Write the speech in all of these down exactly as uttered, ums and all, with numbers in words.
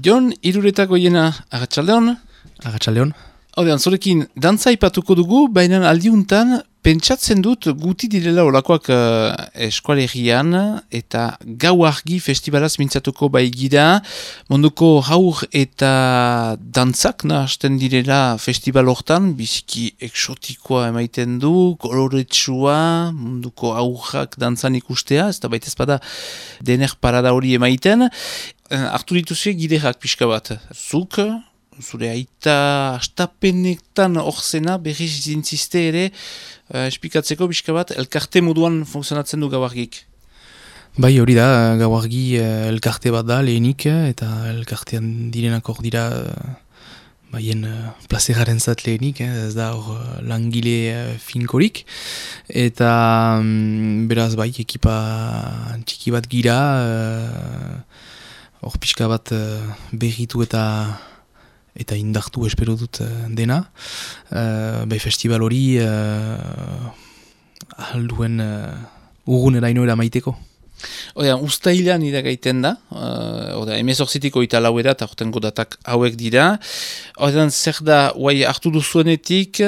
Jon, Iruretako jena, agatxaldeon? Agatxaldeon. Haudean, zorekin, dantza ipatuko dugu, baina aldiuntan, pentsatzen dut guti direla olakoak uh, eskualegian, eta gau argi festivalaz mintzatuko bai gira, munduko haur eta dantzak nahazten direla festival hortan, biziki eksotikoa emaiten du, koloretsua, munduko haurrak dantzan ikustea, ez da baita ezpada dener parada hori emaiten, uh, hartu dituzue giderak pixka bat, zuk, zure aita astapenetan orzena berriz zintziste ere uh, espikatzeko pixka bat elkarte moduan funtzionatzen du gauargik. Bai, hori da, gauargi uh, elkarte bat da lehenik, eta elkartean direnak hor dira uh, baien uh, plazeraren zat lehenik, eh, ez da hor uh, langile uh, finkorik, eta um, beraz bai, ekipa txiki bat gira, hor uh, pixka bat uh, berritu eta eta indartu espero dut dena. Uh, bai festival hori uh, alduen uh, urgun erainoera maiteko. Oda, ustailan iragaiten da, uh, oda, emezortzitiko eta lauera, eta hortengo datak hauek dira. Oda, zer da, guai hartu duzuenetik,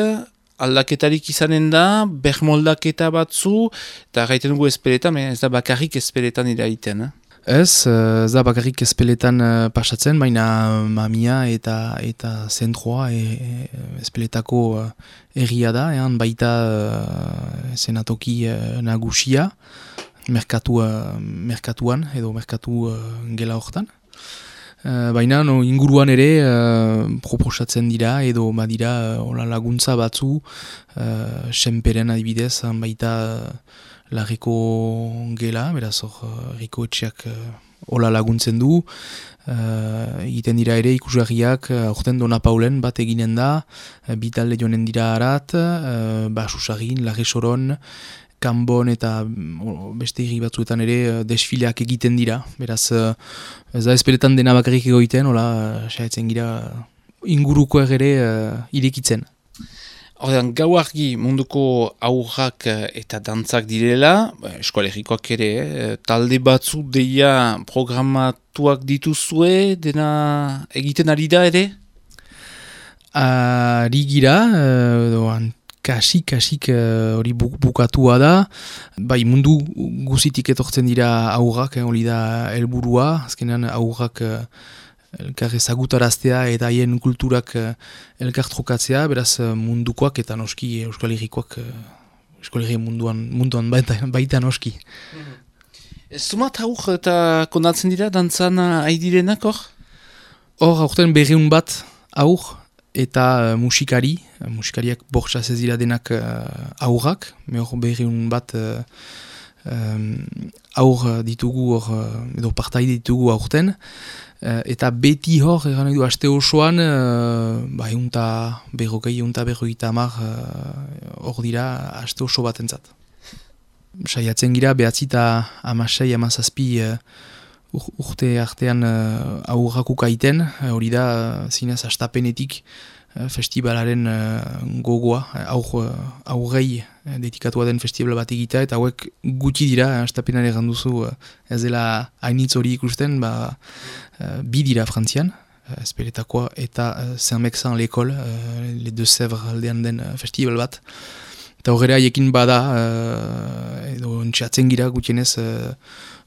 aldaketarik izanen da, bermoldaketa batzu, eta gaiten dugu espeletan, ez da bakarrik espeletan iraiten, eh? Ez, ez da bakarrik ezpeletan uh, pasatzen, baina mamia eta eta zentroa e, e, ezpeletako uh, erria da, ean baita uh, zenatoki uh, nagusia, merkatu, uh, merkatuan edo merkatu uh, gela hortan. Uh, baina no, inguruan ere uh, proposatzen dira edo badira uh, laguntza batzu, uh, senperen adibidez, baita uh, Larriko gela, beraz hor, Riko etxeak hola uh, laguntzen du, uh, egiten dira ere ikusgarriak, aurten uh, Dona Paulen bat eginen da, uh, bitalde joanen dira harat, uh, Basusagin, Larri Soron, Kanbon eta uh, beste hiri batzuetan ere uh, desfileak egiten dira, beraz uh, ez da ezperetan dena bakarrik egoiten, hola, uh, saiatzen gira ingurukoak ere uh, irekitzen. Horrean, gau argi munduko aurrak eta dantzak direla, eskualerikoak ere, eh, talde batzu deia programatuak dituzue, dena egiten ari da ere? Ari gira, uh, kasik-kasik hori uh, bukatua da, bai mundu guzitik etortzen dira aurrak, hori eh, da helburua, azkenean aurrak uh, elkar ezagutaraztea eta haien kulturak uh, elkar trokatzea, beraz uh, mundukoak eta noski Euskal Herrikoak, uh, Euskal Herri munduan, munduan baita, baita noski. Ez zumat haur eta kondatzen dira dantzan haidirenak hor? Hor, aurten berreun bat aur eta uh, musikari, uh, musikariak bortxaz ez dira denak uh, aurrak, me hor berreun bat uh, um, aur ditugu, hor, uh, edo partaide ditugu aurten, Uh, eta beti hor, egan edo, aste osoan, uh, ba, eunta berrokei, eunta berrogeita hamar hor uh, dira aste oso bat entzat. Saiatzen gira, behatzi eta amasei, amazazpi uh, ur, urte artean uh, aurrakuk aiten, hori uh, da, uh, zinez, astapenetik uh, festivalaren uh, gogoa, aur, uh, aurrei uh, dedikatua den festival bat egita, eta hauek gutxi dira, astapenare ganduzu, uh, ez dela hainitz hori ikusten, ba, Uh, bi dira frantzian, uh, espeletakoa eta uh, Saint-Mexan l'école, uh, les deux Sèvres aldean den uh, festival bat. Eta horre haiekin bada, uh, edo ontsatzen gira gutienez, uh,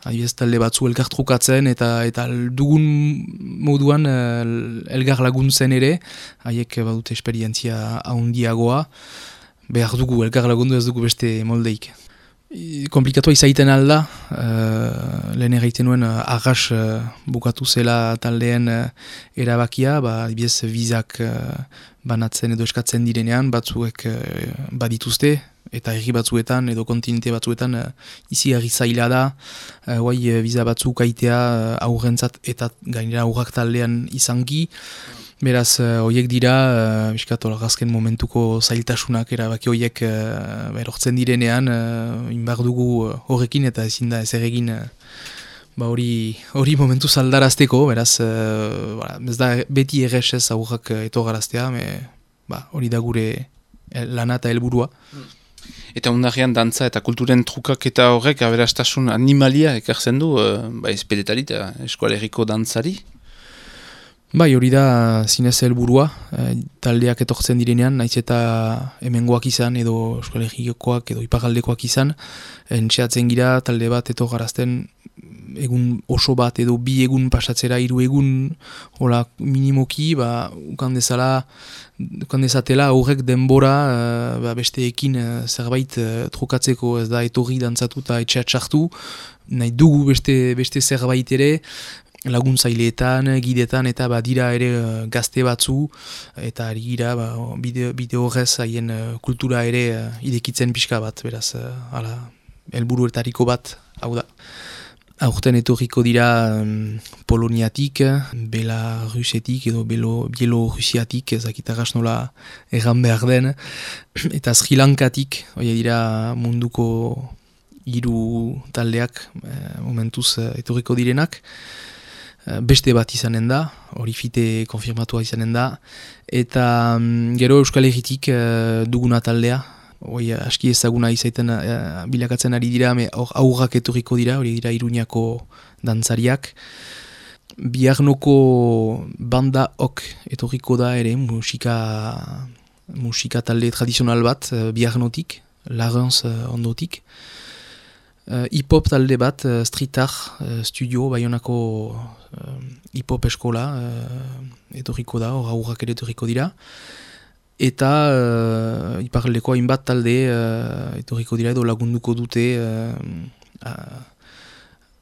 adibidez talde batzu elkar trukatzen eta eta dugun moduan uh, elgar laguntzen ere, haiek badute esperientzia handiagoa, behar dugu elkar lagundu ez dugu beste moldeik. Komplikatua izaiten alda, uh, lehen egiten nuen uh, arras uh, bukatu zela taldeen uh, erabakia, ba, adibidez bizak uh, banatzen edo eskatzen direnean, batzuek uh, badituzte, eta herri batzuetan edo kontinente batzuetan uh, izi herri zaila da, uh, guai uh, biza batzuk aitea uh, aurrentzat eta gainera aurrak taldean izanki. Beraz, horiek uh, dira, uh, biskato lagazken momentuko zailtasunak erabaki horiek uh, erortzen direnean, uh, inbar dugu horrekin eta ezin da ezer egin uh, ba hori hori momentu zaldarazteko, beraz, uh, ba, ez da beti errexez aurrak etogaraztea, ba, hori da gure lana eta helburua. Eta ondarean dantza eta kulturen trukak eta horrek aberastasun animalia ekartzen du, uh, ba, espedetari eta eskualeriko dantzari? Bai, hori da zinez helburua, e, taldeak etortzen direnean, naiz eta hemengoak izan, edo Euskal Herrikoak, edo iparraldekoak izan, entxeatzen gira talde bat eto garazten egun oso bat, edo bi egun pasatzera, hiru egun, hola, minimoki, ba, ukan dezala, ukan dezatela horrek denbora, e, ba, besteekin e, zerbait e, trukatzeko, ez da etorri dantzatu eta etxea txartu, nahi dugu beste, beste zerbait ere, laguntzaileetan, gidetan eta badira ere uh, gazte batzu eta ari gira ba, bide, bide horrez haien uh, kultura ere uh, idekitzen pixka bat, beraz, uh, ala, helburuetariko bat, hau da. Aurten etorriko dira um, Poloniatik, Belarusetik edo Bielorusiatik, ezakitaraz nola erran behar den, eta Sri Lankatik, hori dira munduko hiru taldeak uh, momentuz uh, etorriko direnak. Beste bat izanen da, hori fite konfirmatua izanen da, eta um, gero Euskal Herritik uh, duguna taldea, hori aski ezaguna izaiten uh, bilakatzen ari dira, hor aurrak etorriko dira, hori dira Iruñako dantzariak. Biarnoko banda ok etorriko da ere, musika, musika talde tradizional bat, uh, Biarnotik, Larens uh, ondotik. Uh, hip-hop talde bat, uh, Street Art uh, Studio, Baionako uh, hip-hop eskola uh, etorriko da, hor aurrak ere etorriko dira. Eta uh, iparaldeko hainbat talde uh, etorriko dira edo lagunduko dute uh, uh,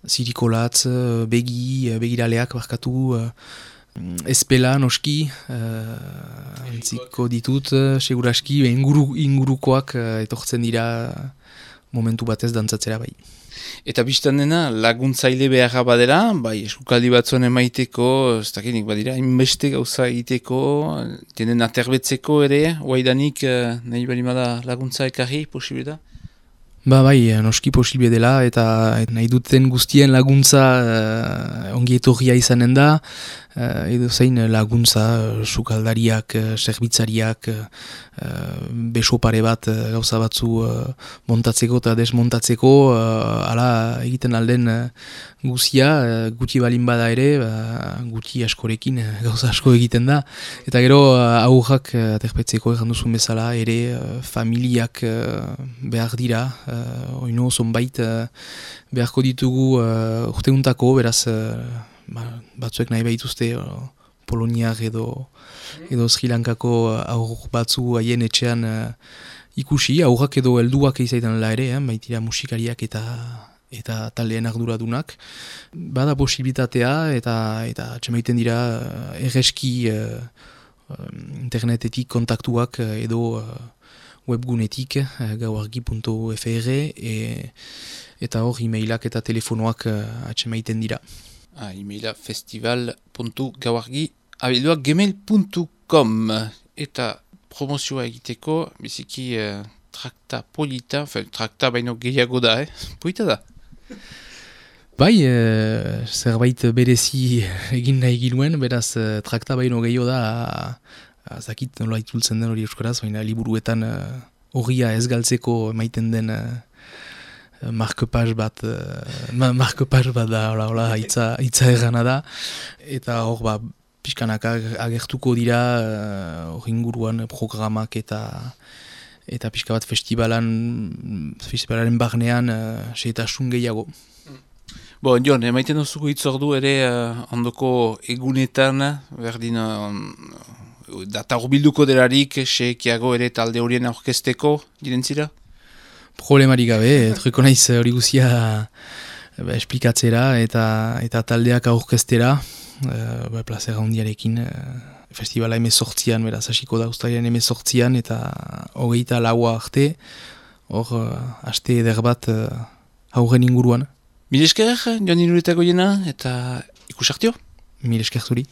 Zirikolatz, uh, Begi, uh, Begiraleak barkatu, uh, Espela, noski, uh, entziko ditut, uh, seguraski, inguru, ingurukoak uh, etortzen dira momentu batez dantzatzera bai. Eta biztan dena laguntzaile beharra badera, bai eskukaldi batzuen emaiteko, ez dakinik badira, inbeste gauza egiteko, tenen aterbetzeko ere, oaidanik nahi balimada laguntza ekarri, posible da? Ba bai, noski posible dela, eta nahi duten guztien laguntza uh, ongi etorria izanen da, uh, edo zein laguntza, uh, sukaldariak, uh, zerbitzariak, uh, beso pare bat uh, gauza batzu uh, montatzeko eta desmontatzeko, uh, ala egiten alden uh, guzia, uh, guti balin bada ere, uh, guti askorekin uh, gauza asko egiten da, eta gero uh, aurrak uh, aterpetzeko egan duzun bezala ere uh, familiak uh, behar dira, Uh, oino zonbait uh, beharko ditugu uh, urteuntako, beraz uh, ba, batzuek nahi behituzte uh, Poloniak edo, edo Sri Lankako aur batzu haien etxean uh, ikusi, aurrak edo helduak izaiten la ere, eh, baitira musikariak eta eta taldeen arduradunak. Bada posibilitatea eta eta txemaiten dira uh, erreski uh, internetetik kontaktuak uh, edo uh, webgunetik, gauargi puntu f r, e, eta hor e-mailak eta telefonoak uh, atxemaiten dira. Ah, e-maila festival puntu gauargi abilduak gmail puntu com, eta promozioa egiteko, biziki uh, trakta polita, fe, trakta baino gehiago da, eh? Polita da? Bai, e, zerbait berezi egin nahi ginuen, beraz e, trakta baino gehiago da, zakit nola itultzen den hori euskaraz, baina liburuetan horria uh, ez galtzeko emaiten den uh, markepaz bat, uh, markepaz bat da, hola, hola, itza, itza errana da, eta hor, ba, pixkanak agertuko dira, hor uh, inguruan programak eta eta pixka bat festivalan, festivalaren barnean uh, seetasun gehiago. Bo, Jon, emaiten duzuko itzordu ere uh, ondoko egunetan, berdin uh, data urbilduko delarik, sekiago ere talde horien aurkezteko, direntzira? Problemarik gabe, truko naiz hori guzia ba, esplikatzera eta eta taldeak aurkeztera, e, ba, plazera hundiarekin, e, festivala emezortzian, beraz hasiko da ustailean emezortzian, eta hogeita laua arte, hor, haste eder bat e, hauren inguruan. Mil esker, Jon Iruretako jena, eta ikusartio? Mil esker zuri.